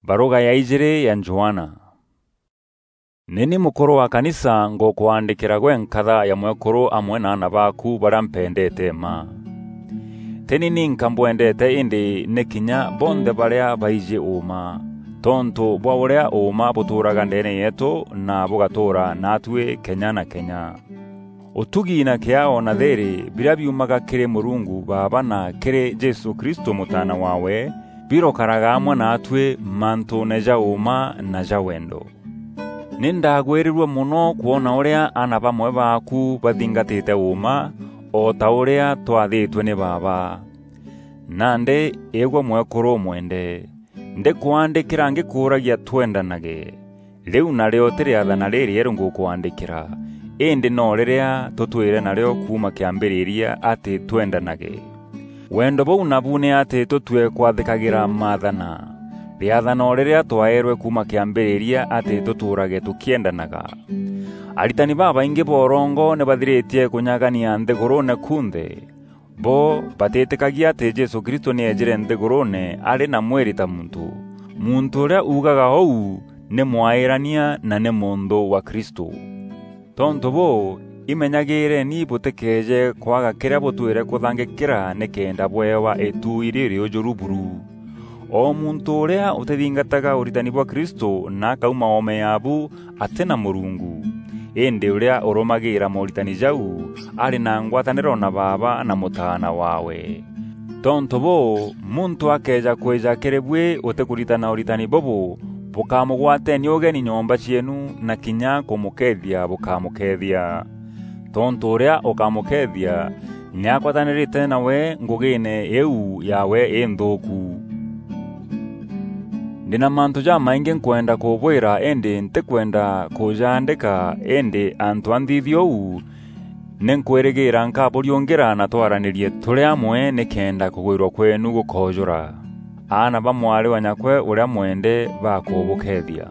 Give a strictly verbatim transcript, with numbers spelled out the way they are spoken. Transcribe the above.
Baruga ya ijiri ya Johana. Ni ni mukuru wa kanisa ngukwaandikira gwe nkatha ya mwekuru amwe na aana baaku baria mpendeete mma. Ti ni ninka mbwendeete, indi ni kinya bonthe baria baiji uuma, tontu bwa uria uuma butuuraga ndeene yeetu na bugatuura naatui kenya na kenya. Utugi na kiao na thiiri biria biumaga kiri Murungu Baaba na kiri Jesu Kristo Mutaana waawe, birokaraga amwe naatui mantuune ja uuma na ja wendo. Ni ndagwirirue mono kwona uria aana bamwe baaku bathingatite uuma, o ta uria twathiitue ni baaba. Nandi, igwe mwekuru umwende, ndikwaandikira ngikuuragia twendanage. Riu nario ti riathana ririeru ngukwaandikira, indi no riria tutwire nario kuuma kiambiriria ati twendanage. Wendo buu nabu ni ati tutue kwathikagira maathana. Riathana o riria twaeerwe kuuma kiambiriria ati tutuurage tukiendanaga. Aritani babaingi ba urongo ni bathiritie kunyagania nthiguruune kunthe. Bo batitikagia ati Jesu Kristo ni eejire nthiguruune ari na mwiri ta muntu. Muntu uria uugaga uu ni mwairania na ni munthu wa Kristo. Tontu buu, imenyagireni butikeeje kwaga kiria butwire kuthangikira nikenda bweewa itu iri riujuru buru. O muntu uria utithingataga uritani bwa Kristo na akauma oome yaabu, ati na Murungu. Indi uria urumagira mooritani jau ari na ngwataniro na Baaba na Mutaana waawe. Tontu buu, muntu akeeja kwija kiri bui utikuritana uritani bubu, bukamugwateni ugeni nyomba cieenu, na kinya kumukeethia bukamukeethia. Tontu uria ukamukeethia ni akwatanirite nawe ngugiine iu yaawe inthuuku. Ndi na mantu jamaingi nkwenda kubwira, indi ntikwenda kujaandika, indi antu a nthithia uu, ni nkwirigira nkaburiungira na twaranirie turi amwe nikenda kugwirwa kweenu gukoojura. Aana ba mwari wa nyakwe uria mwende bakubukeethia.